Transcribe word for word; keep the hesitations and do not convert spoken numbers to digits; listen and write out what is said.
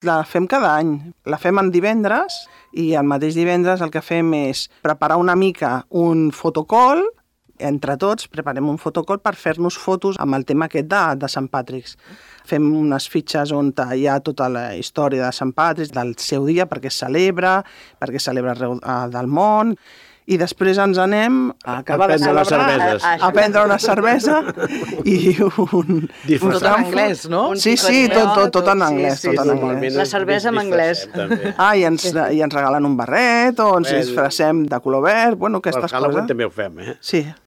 La fem cada any. La fem en divendres i el mateix divendres el que fem és preparar una mica un fotocall, entre tots preparem un fotocall per fer-nos fotos amb el tema aquest de, de Sant Patrick's. Fem unes fitxes on hi ha tota la història de Sant Patrick's, del seu dia, perquè es celebra, perquè es celebra arreu del món, i després ens anem a acabar a prendre de les cerveses. a, a prendre una cervesa i un... Tot en anglès, no? Sí, sí, tot, tot, tot en anglès. Sí, sí, tot en sí. anglès. La cervesa en anglès. Ah, i ens, i ens regalen un barret, o ens disfressem de color verd, bueno, aquestes coses. Per Halloween coses. també ho fem, eh? Sí.